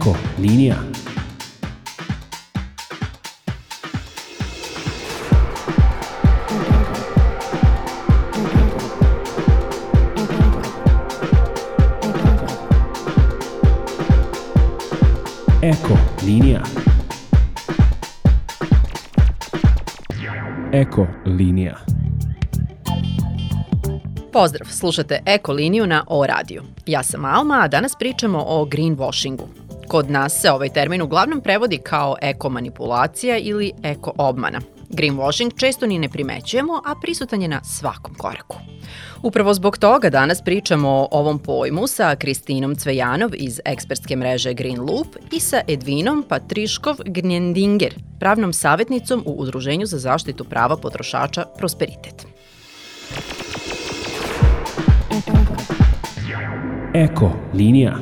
Eko linija. Eko linija. Eko linija. Pozdrav, slušate Eko liniju na O radiju. Ja sam Alma, a danas pričamo o greenwashingu. Kod nas se ovaj termin uglavnom prevodi kao eko manipulacija ili eko obmana. Greenwashing često ni ne primećujemo, a prisutan je na svakom koraku. Upravo zbog toga danas pričamo o ovom pojmu sa Kristinom Cvejanov iz ekspertske mreže Green Loop i sa Edvinom Patriškov-Gnjendinger, pravnom savjetnicom u Udruženju za zaštitu prava potrošača Prosperitet. Eko linija.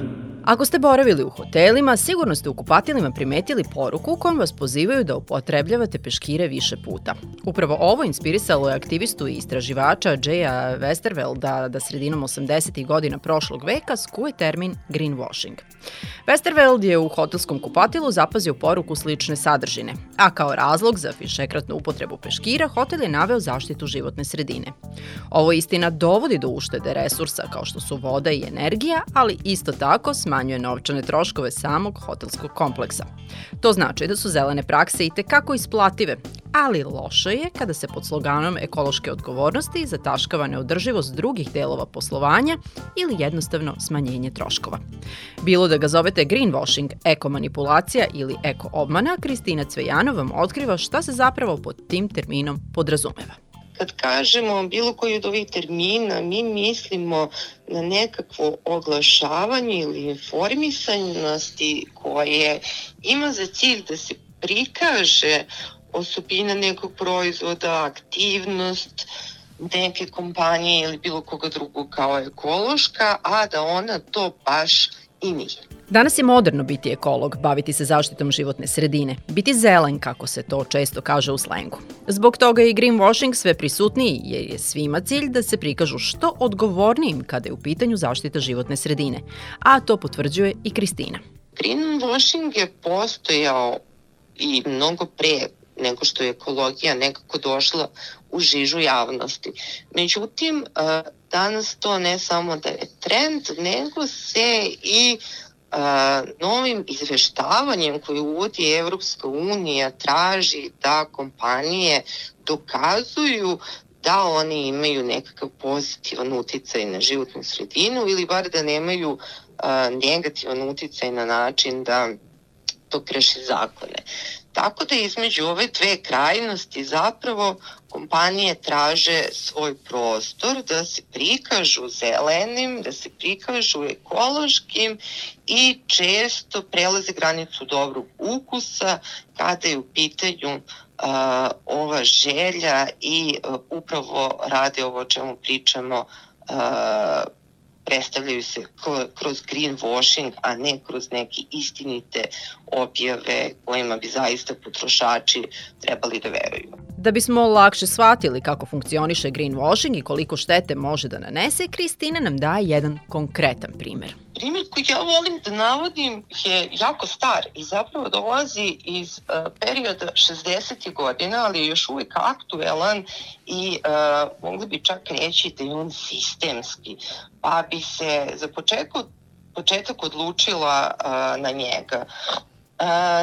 Ako ste boravili u hotelima, sigurno ste u kupatilima primetili poruku kojom vas pozivaju da upotrebljavate peškire više puta. Upravo ovo inspirisalo je aktivistu i istraživača Jaya Westervelda da sredinom 80. godina prošlog veka skuje termin greenwashing. Westerveld je u hotelskom kupatilu zapazio poruku slične sadržine, a kao razlog za višekratnu upotrebu peškira hotel je naveo zaštitu životne sredine. Ovo istina dovodi do uštede resursa kao što su voda i energija, ali isto tako smanjuje novčane troškove samog hotelskog kompleksa. To znači da su zelene prakse itekako isplative, ali loše je kada se pod sloganom ekološke odgovornosti zataškava neodrživost drugih delova poslovanja ili jednostavno smanjenje troškova. Bilo da ga zovete greenwashing, eko manipulacija ili eko obmana, Kristina Cvejanov vam otkriva šta se zapravo pod tim terminom podrazumeva. Kad kažemo bilo koji od ovih termina, mi mislimo na nekakvo oglašavanje ili informisanosti koje ima za cilj da se prikaže osobina nekog proizvoda, aktivnost neke kompanije ili bilo koga drugog kao ekološka, a da ona to baš i nije. Danas je moderno biti ekolog, baviti se zaštitom životne sredine, biti zelen, kako se to često kaže u slengu. Zbog toga je i greenwashing sve prisutniji, jer je svima cilj da se prikažu što odgovornijim kada je u pitanju zaštita životne sredine, a to potvrđuje i Kristina. Greenwashing je postojao i mnogo pre nego što je ekologija nekako došla u žižu javnosti. Međutim, danas to ne samo da je trend, nego se i novim izveštavanjem koje uvodi Evropska unija traži da kompanije dokazuju da oni imaju nekakav pozitivan uticaj na životnu sredinu ili bar da nemaju negativan uticaj na način da to kreše zakone. Tako da između ove dve krajnosti zapravo kompanije traže svoj prostor da se prikažu zelenim, da se prikažu ekološkim i često prelaze granicu dobrog ukusa kada je u pitanju ova želja i upravo rade ovo o čemu pričamo, predstavljaju se kroz greenwashing, a ne kroz neke istinite objave kojima bi zaista potrošači trebali da veruju. Da bismo lakše shvatili kako funkcioniše greenwashing i koliko štete može da nanese, Kristina nam daje jedan konkretan primer. Primer koji ja volim da navodim je jako star i zapravo dolazi iz perioda 60. godina, ali je još uvijek aktuelan i mogli bi čak reći da je on sistemski, pa bi se za početak odlučila na njega.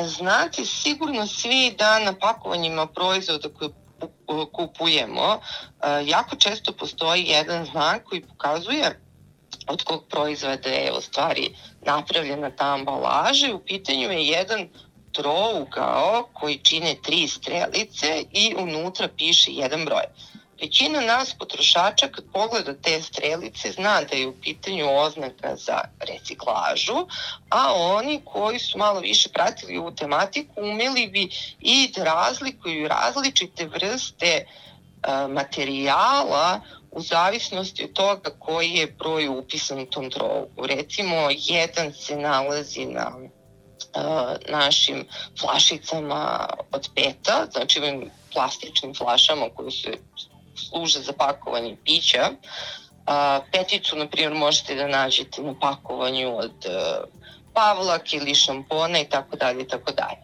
Znate sigurno svi da na pakovanjima proizvoda koje kupujemo jako često postoji jedan znak koji pokazuje od kog proizvoda je u stvari napravljena ta ambalaža. U pitanju je jedan trougao koji čine 3 strelice i unutra piše jedan broj. Većina nas potrošača kad pogleda te strelice zna da je u pitanju oznaka za reciklažu, a oni koji su malo više pratili ovu tematiku umeli bi i da razlikuju različite vrste materijala u zavisnosti od toga koji je broj upisan u tom trougu. Recimo, jedan se nalazi na našim flašicama od peta, znači ovim plastičnim flašama koje se služe za pakovanje pića. Peticu, na primjer, možete da nađete na pakovanju od pavlak ili šampona i tako dalje i tako dalje.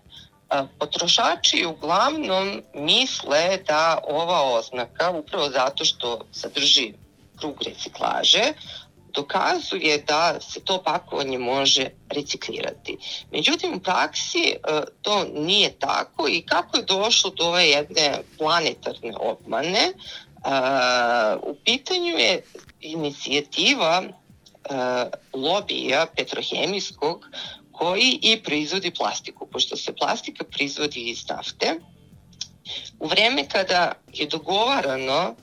Potrošači uglavnom misle da ova oznaka, upravo zato što sadrži krug reciklaže, dokazuje da se to pakovanje može reciklirati. Međutim, u praksi to nije tako i kako je došlo do ove jedne planetarne obmane, u pitanju je inicijativa lobija petrohemijskog koji i proizvodi plastiku, pošto se plastika proizvodi iz nafte. U vreme kada je dogovarano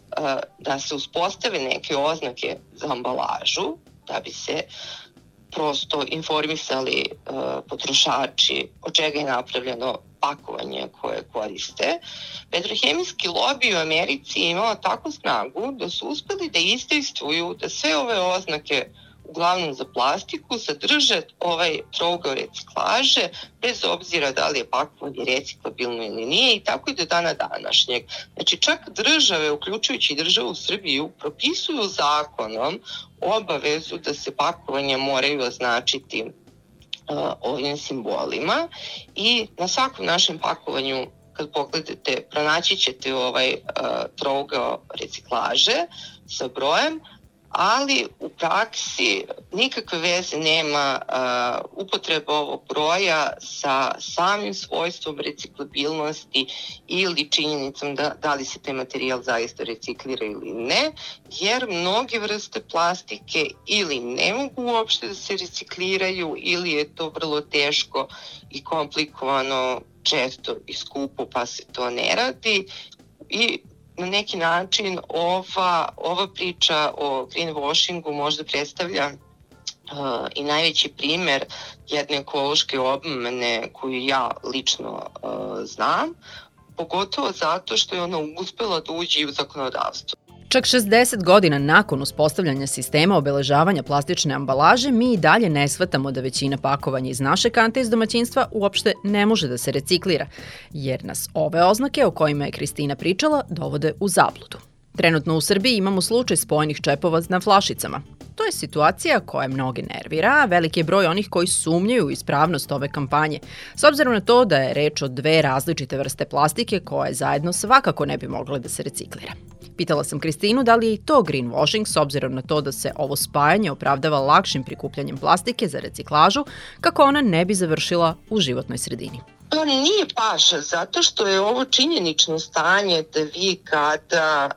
da se uspostave neke oznake za ambalažu, da bi se prosto informisali potrošači od čega je napravljeno pakovanje koje koriste, petrohemijski lobby u Americi je imao takvu snagu da su uspeli da izdejstvuju da sve ove oznake, uglavnom za plastiku, sadrže ovaj trougao reciklaže, bez obzira da li je pakovanje reciklabilno ili nije, i tako i do dana današnjeg. Znači, čak države, uključujući državu Srbiju, propisuju zakonom obavezu da se pakovanja moraju označiti ovim simbolima, i na svakom našem pakovanju, kad pogledate, pronaći ćete ovaj trougao reciklaže sa brojem, ali u praksi nikakve veze nema upotreba ovog broja sa samim svojstvom reciklabilnosti ili činjenicom da li se taj materijal zaista reciklira ili ne, jer mnoge vrste plastike ili ne mogu uopšte da se recikliraju ili je to vrlo teško i komplikovano, često i skupo, pa se to ne radi. I na neki način ova priča o greenwashingu možda predstavlja i najveći primer jedne ekološke obmane koju ja lično znam, pogotovo zato što je ona uspela da uđe i u zakonodavstvo. Čak 60 godina nakon uspostavljanja sistema obeležavanja plastične ambalaže, mi i dalje ne shvatamo da većina pakovanja iz naše kante iz domaćinstva uopšte ne može da se reciklira, jer nas ove oznake o kojima je Kristina pričala dovode u zabludu. Trenutno u Srbiji imamo slučaj spojenih čepova na flašicama. To je situacija koja mnoge nervira, a veliki je broj onih koji sumnjaju u ispravnost ove kampanje, s obzirom na to da je reč o dve različite vrste plastike koje zajedno svakako ne bi mogle da se reciklira. Pitala sam Kristinu da li je i to greenwashing, s obzirom na to da se ovo spajanje opravdava lakšim prikupljanjem plastike za reciklažu, kako ona ne bi završila u životnoj sredini. To nije baš, zato što je ovo činjenično stanje da vi kada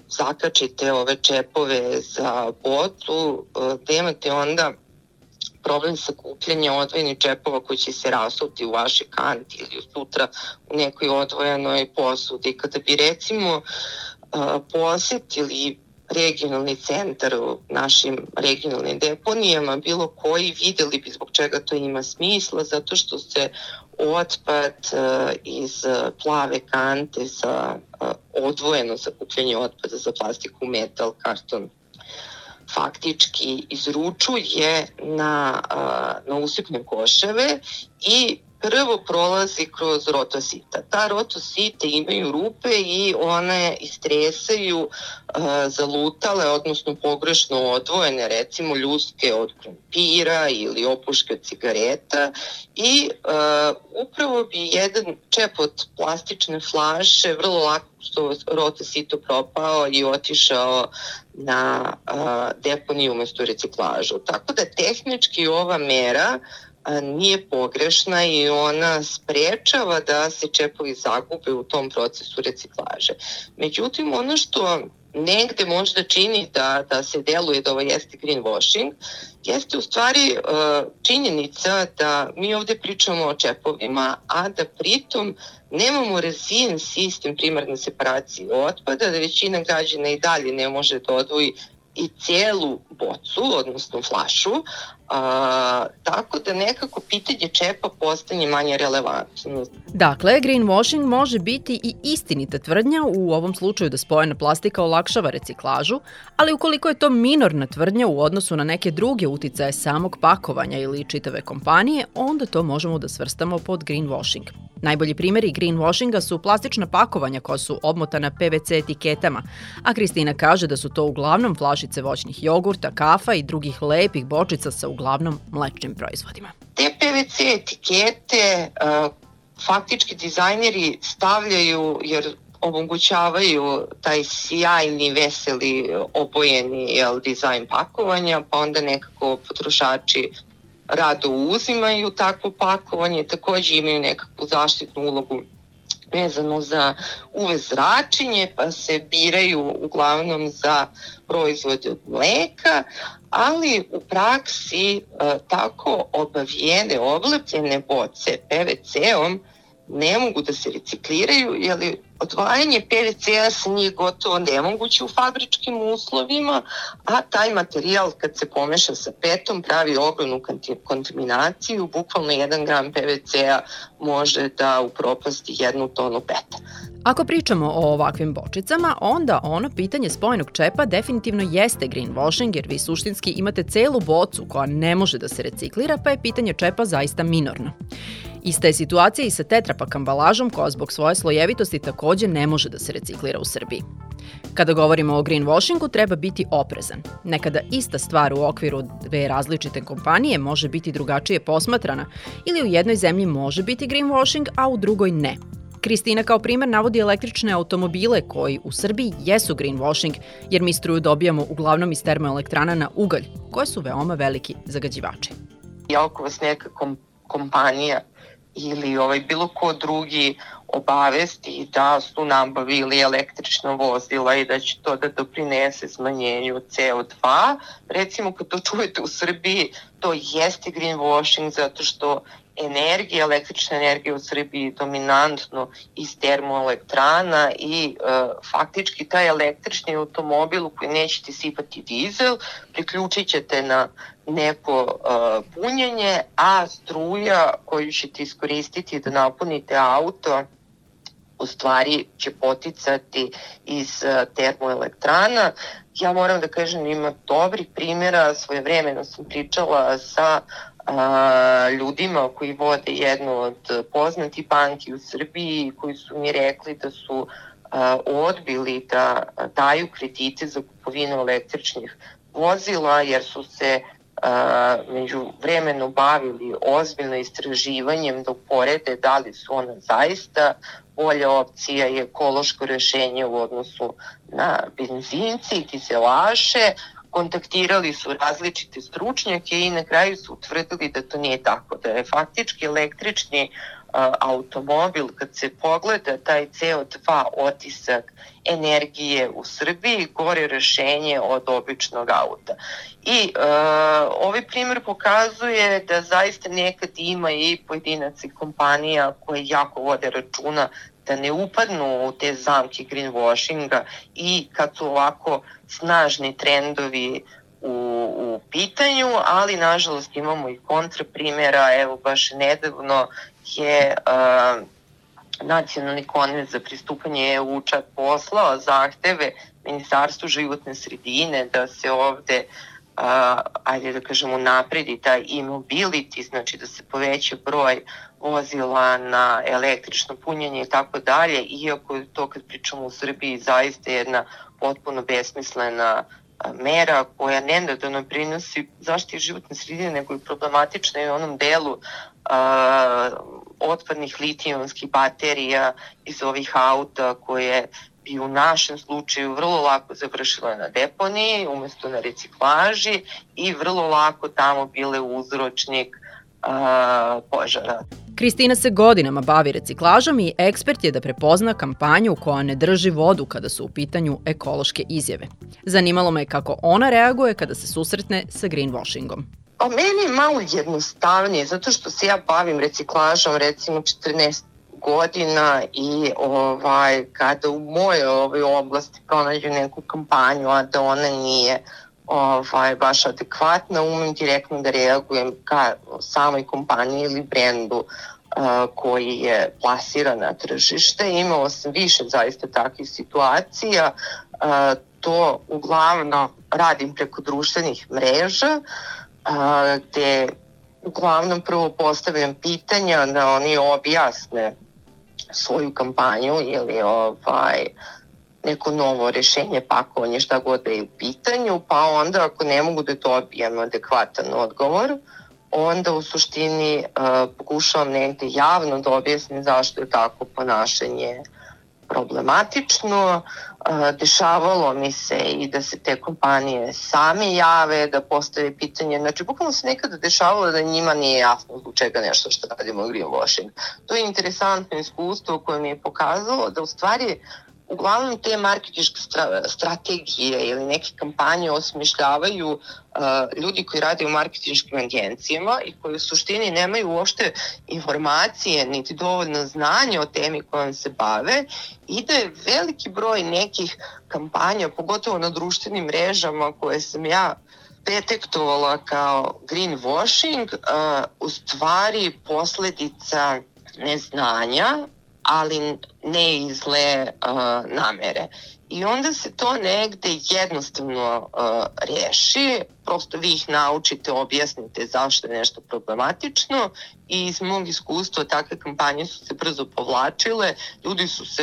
zakačite ove čepove za bocu, da imate onda problem sakupljanja odvojenih čepova koji će se rasuti u vašoj kanti ili sutra u nekoj odvojenoj posudi. Kada bi recimo posetili regionalni centar u našim regionalnim deponijama, bilo koji, videli bi zbog čega to ima smisla, zato što se otpad iz plave kante za odvojeno sakupljanje otpada za plastiku, metal, karton, faktički izručuje na usipne koševe i prvo prolazi kroz rotosita. Ta rotosite imaju rupe i one istresaju zalutale, odnosno pogrešno odvojene, recimo ljuske od krompira ili opuške od cigareta, i upravo bi jedan čep od plastične flaše vrlo lako rotosito propao i otišao na deponiju umesto reciklažu. Tako da tehnički ova mera nije pogrešna i ona sprečava da se čepovi zagube u tom procesu reciklaže. Međutim, ono što negde možda čini da se deluje da ovo jeste greenwashing, jeste u stvari činjenica da mi ovde pričamo o čepovima, a da pritom nemamo razvijen sistem primarne separacije otpada, da većina građana i dalje ne može da odvoji i cijelu bocu, odnosno flašu, tako da nekako pitanje čepa postane manje relevantno. Dakle, greenwashing može biti i istinita tvrdnja, u ovom slučaju da spojena plastika olakšava reciklažu, ali ukoliko je to minorna tvrdnja u odnosu na neke druge uticaje samog pakovanja ili čitave kompanije, onda to možemo da svrstamo pod greenwashing. Najbolji primjeri greenwashinga su plastična pakovanja koja su obmotana PVC etiketama, a Kristina kaže da su to uglavnom flašice voćnih jogurta, kafa i drugih lepih bočica sa uglavnom mlečnim proizvodima. Te PVC etikete faktički dizajneri stavljaju jer omogućavaju taj sjajni, veseli, obojeni dizajn pakovanja, pa onda nekako potrošači rado uzimaju takvo pakovanje, takođe imaju nekakvu zaštitnu ulogu vezano za UV zračenje, pa se biraju uglavnom za proizvode od mleka, ali u praksi tako obavijene, oblepljene boce PVC-om ne mogu da se recikliraju, jer odvajanje PVC-a sa njih gotovo nemoguće u fabričkim uslovima, a taj materijal kad se pomeša sa petom pravi ogromnu kontaminaciju, bukvalno 1 gram PVC-a može da upropasti 1 tonu peta. Ako pričamo o ovakvim bočicama, onda ono pitanje spojenog čepa definitivno jeste greenwashing, jer vi suštinski imate celu bocu koja ne može da se reciklira, pa je pitanje čepa zaista minorno. Ista je situacija i sa tetrapak ambalažom koja zbog svoje slojevitosti takođe ne može da se reciklira u Srbiji. Kada govorimo o greenwashingu, treba biti oprezan. Nekada ista stvar u okviru dve različite kompanije može biti drugačije posmatrana ili u jednoj zemlji može biti greenwashing, a u drugoj ne. Kristina kao primer navodi električne automobile koji u Srbiji jesu greenwashing, jer mi struju dobijamo uglavnom iz termoelektrana na ugalj, koje su veoma veliki zagađivači. Ako vas neka kompanija ili bilo ko drugi obavesti da su nabavili električna vozila i da će to da doprinese smanjenju CO2. Recimo, kad to čujete u Srbiji, to jeste greenwashing zato što električna energija u Srbiji je dominantno iz termoelektrana i faktički taj električni automobil u koji nećete sipati dizel, priključit ćete na neko punjenje, a struja koju ćete iskoristiti da napunite auto u stvari će poticati iz termoelektrana. Ja moram da kažem, ima dobrih primjera, svojevremeno sam pričala sa ljudima koji vode jednu od poznatih banki u Srbiji, koji su mi rekli da su odbili da daju kredite za kupovinu električnih vozila, jer su se među vremenu bavili ozbiljno istraživanjem da uporede da li su ona zaista bolja opcija i ekološko rešenje u odnosu na benzince i dizelaše. Kontaktirali su različite stručnjake i na kraju su utvrdili da to nije tako, da je faktički električni automobil, kad se pogleda taj CO2 otisak energije u Srbiji, gore rešenje od običnog auta. I ovaj primjer pokazuje da zaista nekad ima i pojedinaca i kompanija koje jako vode računa da ne upadnu u te zamke greenwashinga i kad su ovako snažni trendovi u pitanju, ali nažalost imamo i kontraprimjera. Evo baš nedavno je Nacionalni konvent za pristupanje EU čak poslao zahteve Ministarstvu životne sredine da se ovde ajde da kažemo napredi taj e-mobility, znači da se poveća broj vozila na električno punjenje i tako dalje, iako je to kad pričamo u Srbiji zaista jedna potpuno besmislena mera koja ne da doprinosi zaštiti životne sredine, nego je problematična i u onom delu otpadnih litijumskih baterija iz ovih auta koje bi u našem slučaju vrlo lako završile na deponiji umesto na reciklaži i vrlo lako tamo bile uzročnik požara. Kristina se godinama bavi reciklažom i ekspert je da prepozna kampanju koja ne drži vodu kada su u pitanju ekološke izjave. Zanimalo me kako ona reaguje kada se susretne sa greenwashingom. Meni je malo jednostavnije, zato što se ja bavim reciklažom recimo 14 godina i kada u mojoj oblasti pronađu neku kampanju, a da ona nije baš adekvatna, umem direktno da reagujem ka samoj kompaniji ili brendu koji je plasiran na tržište. Imala sam više zaista takvih situacija. To uglavnom radim preko društvenih mreža, gde uglavnom prvo postavljam pitanja da oni objasne svoju kampanju ili neko novo rešenje, pakovanje, šta god da je u pitanju, pa onda ako ne mogu da dobijem adekvatan odgovor, onda u suštini pokušavam negde javno da objasnim zašto je tako ponašanje problematično. Dešavalo mi se i da se te kompanije same jave, da postave pitanje. Znači, bukvalno se nekada dešavalo da njima nije jasno zbog čega nešto što radimo greenwashing. To je interesantno iskustvo koje mi je pokazalo da u stvari uglavnom te marketinške strategije ili neke kampanje osmišljavaju ljudi koji rade u marketinškim agencijama i koji u suštini nemaju uopšte informacije niti dovoljno znanja o temi kojom se bave i da je veliki broj nekih kampanja, pogotovo na društvenim mrežama koje sam ja detektovala kao greenwashing, u stvari posledica neznanja, ali ne iz zle namere. I onda se to negde jednostavno reši, prosto vi ih naučite, objasnite zašto je nešto problematično i iz mog iskustva takve kampanje su se brzo povlačile, ljudi su se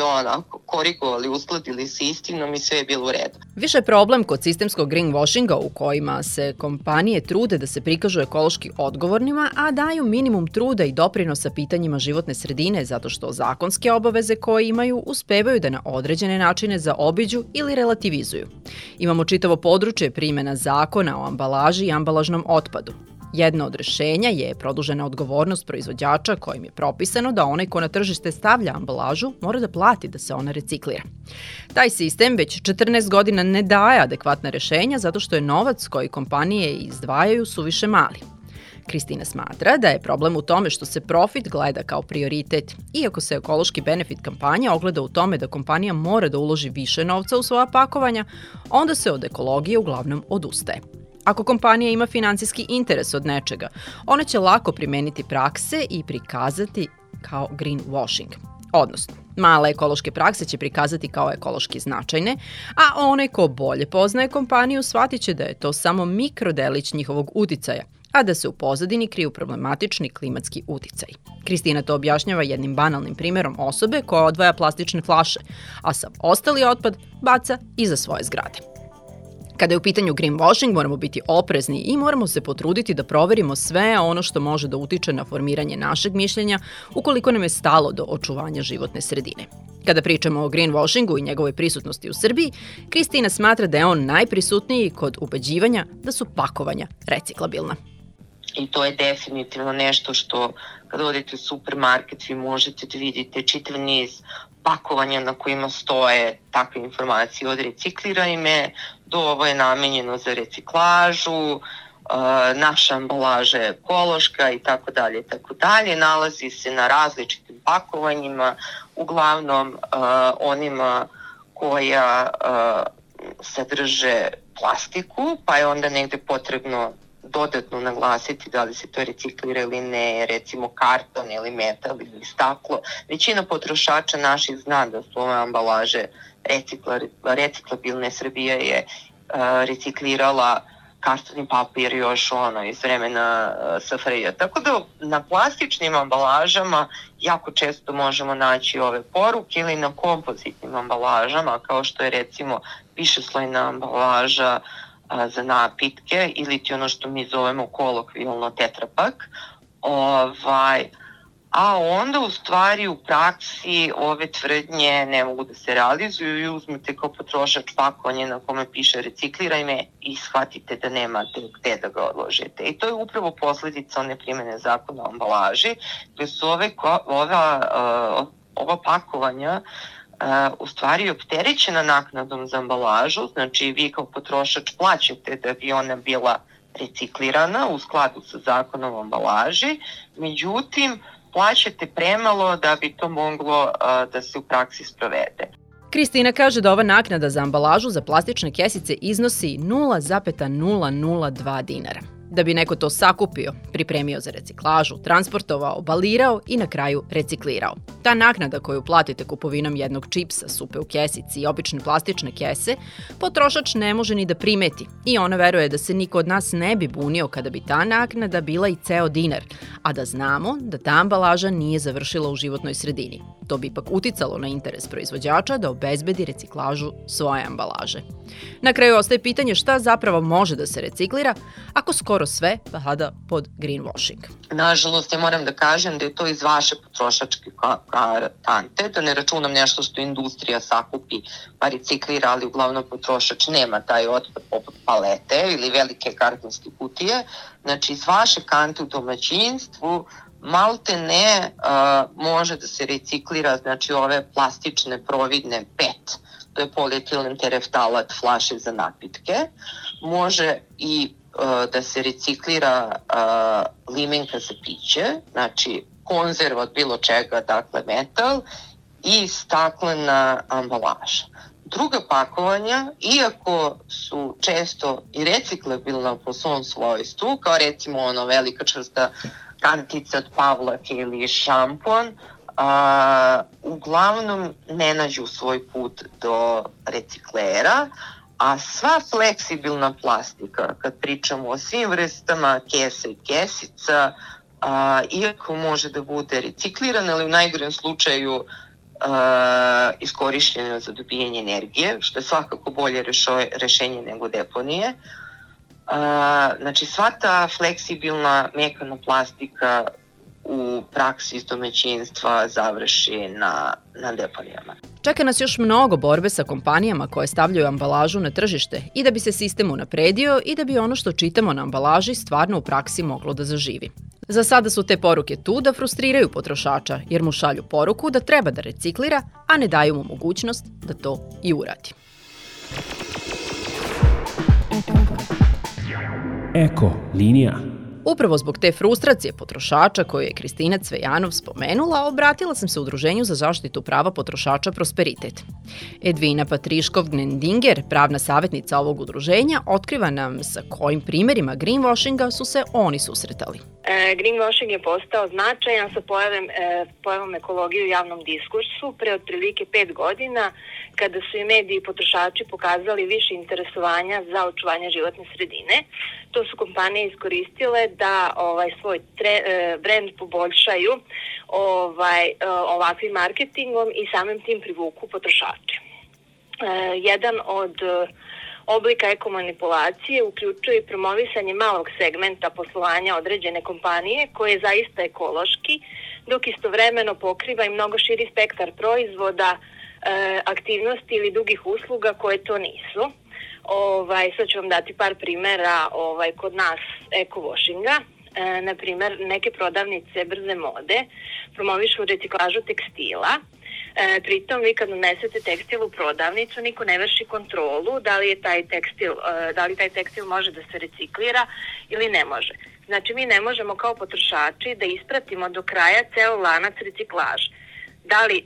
korigovali, uskladili sa istinom i sve je bilo u redu. Više je problem kod sistemskog greenwashinga u kojima se kompanije trude da se prikažu ekološki odgovornima, a daju minimum truda i doprinosa pitanjima životne sredine zato što zakonske obaveze koje imaju uspevaju da na određene načine zaobiđu ili relativizuju. Imamo čitavo područje primjena zakona o ambalaži i ambalažnom otpadu. Jedno od rešenja je produžena odgovornost proizvođača kojim je propisano da onaj ko na tržište stavlja ambalažu mora da plati da se ona reciklira. Taj sistem već 14 godina ne daje adekvatna rešenja zato što je novac koji kompanije izdvajaju suviše mali. Kristina smatra da je problem u tome što se profit gleda kao prioritet, iako se ekološki benefit kampanje ogleda u tome da kompanija mora da uloži više novca u svoja pakovanja, onda se od ekologije uglavnom odustaje. Ako kompanija ima finansijski interes od nečega, ona će lako primeniti prakse i prikazati kao greenwashing. Odnosno, male ekološke prakse će prikazati kao ekološki značajne, a onaj ko bolje poznaje kompaniju shvatit će da je to samo mikrodelić njihovog uticaja, a da se u pozadini kriju problematični klimatski uticaj. Kristina to objašnjava jednim banalnim primjerom osobe koja odvaja plastične flaše, a sav ostali otpad baca iza svoje zgrade. Kada je u pitanju greenwashing, moramo biti oprezni i moramo se potruditi da proverimo sve ono što može da utiče na formiranje našeg mišljenja ukoliko nam je stalo do očuvanja životne sredine. Kada pričamo o greenwashingu i njegovoj prisutnosti u Srbiji, Kristina smatra da je on najprisutniji kod ubeđivanja da su pakovanja reciklabilna. I to je definitivno nešto što kada odete u supermarket vi možete da vidite čitav niz pakovanja na kojima stoje takve informacije od recikliraj me do ovo je namenjeno za reciklažu, naša ambalaža je ekološka i tako dalje. Nalazi se na različitim pakovanjima, uglavnom onima koja sadrže plastiku, pa je onda negde potrebno dodatno naglasiti da li se to reciklira ili ne, recimo karton ili metal ili staklo. Većina potrošača naših zna da su ove ambalaže reciklabilne. Srbija je reciklirala karton i papir još iz vremena SFRJ. Tako da na plastičnim ambalažama jako često možemo naći ove poruke ili na kompozitnim ambalažama kao što je recimo višeslojna ambalaža za napitke ili ti ono što mi zovemo kolokvijalno tetrapak. A onda u stvari u praksi ove tvrdnje ne mogu da se realizuju i uzmete kao potrošač pakovanje na kome piše recikliraj me i shvatite da nemate gde da ga odložite. I to je upravo posledica one primjene zakona o ambalaži, gde su ova pakovanja u stvari opterećena naknadom za ambalažu, znači vi kao potrošač plaćate da bi ona bila reciklirana u skladu sa zakonom o ambalaži, međutim plaćate premalo da bi to moglo da se u praksi sprovede. Kristina kaže da ova naknada za ambalažu za plastične kesice iznosi 0,002 dinara. da bi neko to sakupio, pripremio za reciklažu, transportovao, balirao i na kraju reciklirao. Ta naknada koju platite kupovinom jednog čipsa, supe u kesici i obične plastične kese, potrošač ne može ni da primeti i ona veruje da se niko od nas ne bi bunio kada bi ta naknada bila i ceo dinar, a da znamo da ta ambalaža nije završila u životnoj sredini. To bi ipak uticalo na interes proizvođača da obezbedi reciklažu svoje ambalaže. Na kraju ostaje pitanje šta zapravo može da se reciklira ako skoro sve pada pod greenwashing. Nažalost, ja moram da kažem da je to iz vaše potrošačke kante, da ne računam nešto što industrija sakupi pa reciklira, ali uglavnom potrošač nema taj otpad poput palete ili velike kartonske kutije. Znači, iz vaše kante u domaćinstvu malte ne može da se reciklira, znači ove plastične providne PET, to je polietilen tereftalat flaše za napitke, može i da se reciklira limenka za piće, znači konzerva od bilo čega, dakle metal i staklena ambalaža. Druga pakovanja, iako su često i reciklabilna po svom svojstvu, kao recimo ono velika čvrsta kantica od pavlake ili šampon, uglavnom ne nađu svoj put do reciklera, a sva fleksibilna plastika, kad pričamo o svim vrstama kesa i kesica, iako može da bude reciklirana, ali u najgorem slučaju iskorišćena za dobijanje energije, što je svakako bolje rešenje nego deponije. Znači, sva ta fleksibilna mekana plastika u praksi iz domaćinstva završi na deponijama. Čeka nas još mnogo borbe sa kompanijama koje stavljaju ambalažu na tržište i da bi se sistem unapredio i da bi ono što čitamo na ambalaži stvarno u praksi moglo da zaživi. Za sada su te poruke tu da frustriraju potrošača jer mu šalju poruku da treba da reciklira, a ne daju mu mogućnost da to i uradi. Eko linija. Upravo zbog te frustracije potrošača koju je Kristina Cvejanov spomenula, obratila sam se Udruženju za zaštitu prava potrošača Prosperitet. Edvina Patriškov-Gnendinger, pravna savjetnica ovog udruženja, otkriva nam sa kojim primerima greenwashinga su se oni susretali. Greenwashing je postao značajan sa pojavom ekologije u javnom diskursu pre otprilike 5 godina, kada su i mediji i potrošači pokazali više interesovanja za očuvanje životne sredine. To su kompanije iskoristile da svoj brend poboljšaju ovakvim marketingom i samim tim privuku potrošače. Jedan od oblika ekomanipulacije uključuje i promovisanje malog segmenta poslovanja određene kompanije koje je zaista ekološki, dok istovremeno pokriva i mnogo širi spektar proizvoda, aktivnosti ili drugih usluga koje to nisu. Sad ću vam dati par primera kod nas eco-washinga. Na primer, neke prodavnice brze mode promovišu reciklažu tekstila. Pritom, vi kad unesete tekstil u prodavnicu, niko ne vrši kontrolu da li taj tekstil može da se reciklira ili ne može. Znači, mi ne možemo kao potrošači da ispratimo do kraja ceo lanac reciklaže. Da li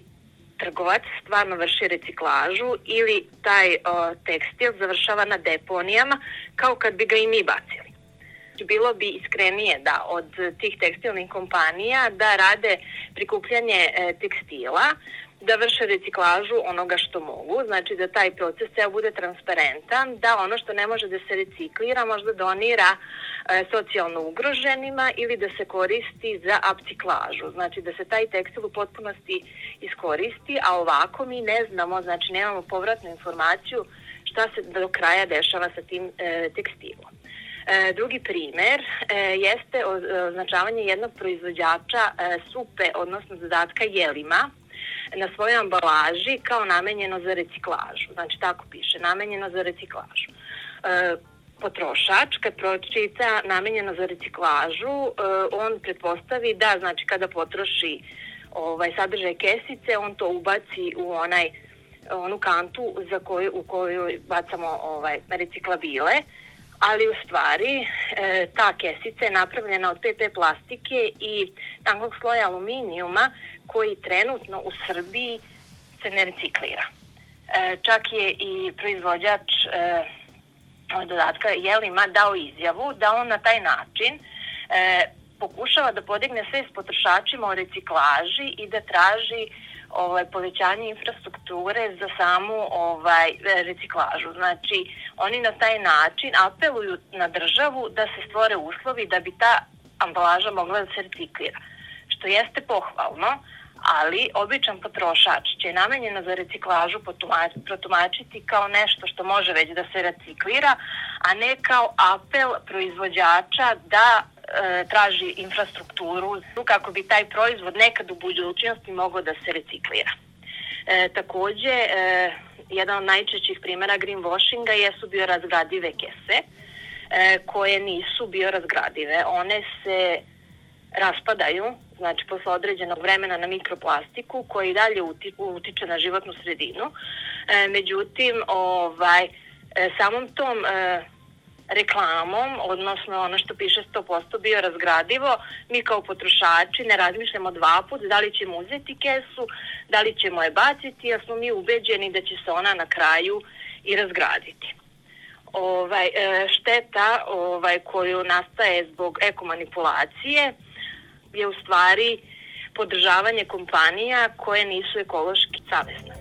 trgovac stvarno vrši reciklažu ili taj tekstil završava na deponijama kao kad bi ga i mi bacili. Bilo bi iskrenije da od tih tekstilnih kompanija da rade prikupljanje tekstila, da vrše reciklažu onoga što mogu, znači da taj proces ceo bude transparentan, da ono što ne može da se reciklira možda donira socijalno ugroženima ili da se koristi za upciklažu, znači da se taj tekstil u potpunosti iskoristi, a ovako mi ne znamo, znači nemamo povratnu informaciju šta se do kraja dešava sa tim tekstilom. Drugi primer jeste označavanje jednog proizvođača supe, odnosno dodatka jelima, na svojoj ambalaži kao namenjeno za reciklažu. Znači tako piše, namenjeno za reciklažu. Potrošač kad pročita namenjeno za reciklažu, on pretpostavi da znači kada potroši sadržaj kesice, on to ubaci u onu kantu u koju bacamo reciklabile, ali u stvari ta kesica je napravljena od PP plastike i tankog sloja aluminijuma koji trenutno u Srbiji se ne reciklira. Čak je i proizvođač dodatka Jelima dao izjavu da on na taj način pokušava da podigne svest potrošačima o reciklaži i da traži povećanje infrastrukture za samu reciklažu. Znači, oni na taj način apeluju na državu da se stvore uslovi da bi ta ambalaža mogla da se reciklira. Što jeste pohvalno, ali običan potrošač će namenjeno za reciklažu protumačiti kao nešto što može već da se reciklira, a ne kao apel proizvođača da traži infrastrukturu kako bi taj proizvod nekad u budućnosti mogao da se reciklira. Takođe, jedan od najčešćih primjera greenwashinga jesu biorazgradive kese, koje nisu biorazgradive. One se raspadaju, znači posle određenog vremena, na mikroplastiku koji dalje utiče na životnu sredinu. Međutim, samom tom reklamom, odnosno ono što piše 100% biorazgradivo, mi kao potrošači ne razmišljamo dva put da li ćemo uzeti kesu, da li ćemo je baciti, jer smo mi ubeđeni da će se ona na kraju i razgraditi. Šteta koju nastaje zbog ekomanipulacije je u stvari podržavanje kompanija koje nisu ekološki savesne.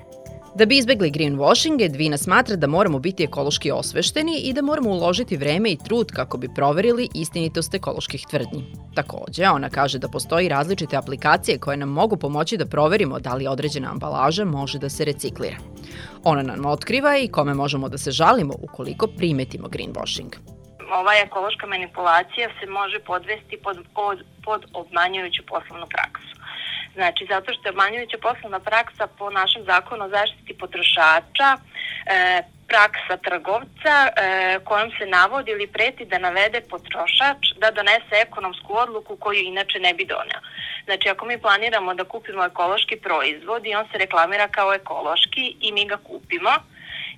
Da bi izbegli greenwashing, Edvina smatra da moramo biti ekološki osvešteni i da moramo uložiti vreme i trud kako bi proverili istinitost ekoloških tvrdnji. Takođe, ona kaže da postoji različite aplikacije koje nam mogu pomoći da proverimo da li određena ambalaža može da se reciklira. Ona nam otkriva i kome možemo da se žalimo ukoliko primetimo greenwashing. Ova ekološka manipulacija se može podvesti pod obmanjujuću poslovnu praksu. Znači, zato što je obmanjujuća poslovna praksa po našem zakonu o zaštiti potrošača praksa trgovca kojom se navodi ili preti da navede potrošač da donese ekonomsku odluku koju inače ne bi doneo. Znači, ako mi planiramo da kupimo ekološki proizvod i on se reklamira kao ekološki i mi ga kupimo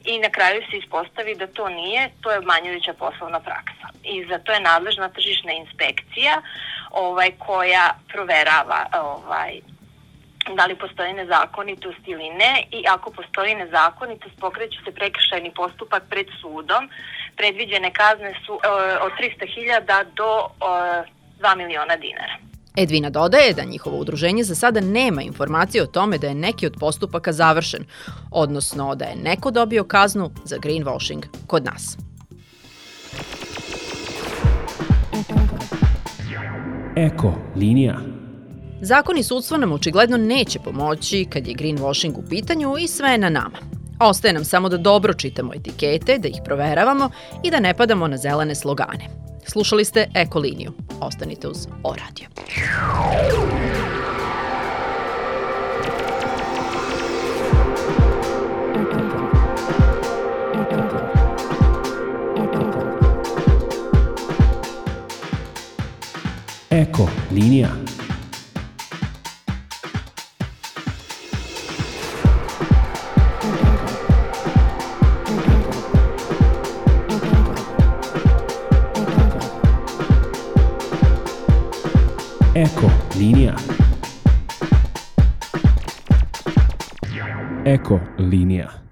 i na kraju se ispostavi da to nije, to je obmanjujuća poslovna praksa. I za to je nadležna tržišna inspekcija koja proverava da li postoji nezakonitost ili ne, i ako postoji nezakonitost pokreće se prekršajni postupak pred sudom. Predviđene kazne su od 300.000 do 2 miliona dinara. Edvina dodaje da njihovo udruženje za sada nema informacije o tome da je neki od postupaka završen, odnosno da je neko dobio kaznu za greenwashing kod nas. Eko linija. Zakon i sudstvo nam očigledno neće pomoći kad je greenwashing u pitanju i sve je na nama. Ostaje nam samo da dobro čitamo etikete, da ih proveravamo i da ne padamo na zelene slogane. Slušali ste Eko liniju. Ostanite uz O-radio. Eko linija. Eko linija. Eko linija.